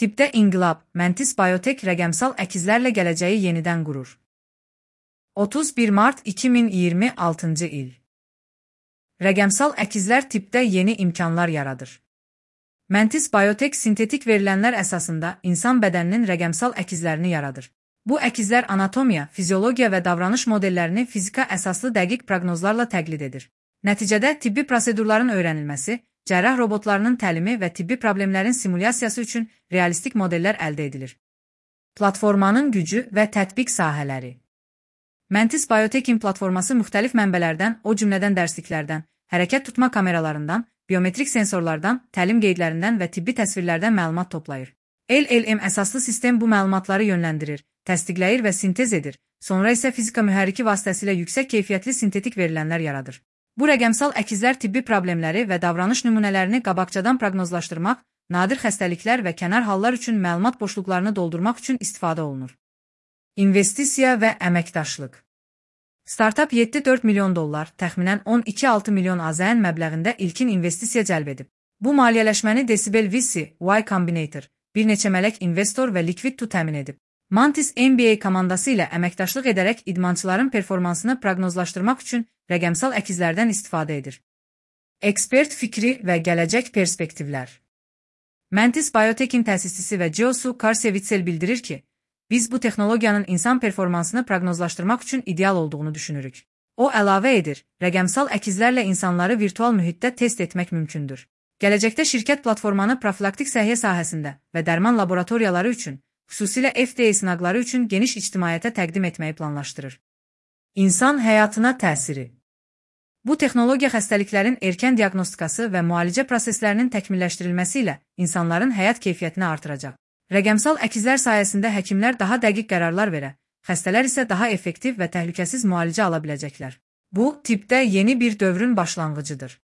Tibbdə inqilab, Mantis Biotech rəqəmsal əkizlərlə gələcəyi yenidən qurur. 31 mart 2026-cı il. Rəqəmsal əkizlər tibbdə yeni imkanlar yaradır. Mantis Biotech sintetik verilənlər əsasında insan bədəninin rəqəmsal əkizlərini yaradır. Bu əkizlər anatomiya, fiziologiya və davranış modellərini fizika əsaslı dəqiq proqnozlarla təqlid edir. Nəticədə tibbi prosedurların öyrənilməsi, cərrah robotlarının təlimi və tibbi problemlərin simulyasiyası üçün realistik modellər əldə edilir. Platformanın gücü və tətbiq sahələri. Mantis Biotech'in platforması müxtəlif mənbələrdən, o cümlədən dərsliklərdən, hərəkət tutma kameralarından, biometrik sensorlardan, təlim qeydlərindən və tibbi təsvirlərdən məlumat toplayır. LLM əsaslı sistem bu məlumatları yönləndirir, təsdiqləyir və sintez edir, sonra isə fizika mühərriki vasitəsilə yüksək keyfiyyətli sintetik verilənlər yaradır. Bu rəqəmsal əkizlər tibbi problemləri və davranış nümunələrini qabaqcadan proqnozlaşdırmaq, nadir xəstəliklər və kənar hallar üçün məlumat boşluqlarını doldurmaq üçün istifadə olunur. İnvestisiya və əməkdaşlıq. Startup $7,4 milyon, təxminən 12,6 milyon AZN məbləğində ilkin investisiya cəlb edib. Bu maliyyələşməni Decibel VC, Y Combinator, bir neçə mələk investor və Liquid2 təmin edib. Mantis MBA komandası ilə əməkdaşlıq edərək idmançıların performansını proqnozlaşdırmaq üçün rəqəmsal əkizlərdən istifadə edir. Ekspert fikri və gələcək perspektivlər. Mantis Biotech'in təsisçisi və CEO Karsevitsel bildirir ki, biz bu texnologiyanın insan performansını proqnozlaşdırmaq üçün ideal olduğunu düşünürük. O əlavə edir, rəqəmsal əkizlərlə insanları virtual mühitdə test etmək mümkündür. Gələcəkdə şirkət platformanı profilaktik səhiyyə sahəsində və dərman laboratoriyaları üçün, xüsusilə FDA sınaqları üçün geniş ictimaiyyətə təqdim etməyi planlaşdırır. İnsan həyatına təsiri. Bu texnologiya xəstəliklərin erkən diaqnostikası və müalicə proseslərinin təkmilləşdirilməsi ilə insanların həyat keyfiyyətini artıracaq. Rəqəmsal əkizlər sayəsində həkimlər daha dəqiq qərarlar verə, xəstələr isə daha effektiv və təhlükəsiz müalicə ala biləcəklər. Bu, tibbdə yeni bir dövrün başlanğıcıdır.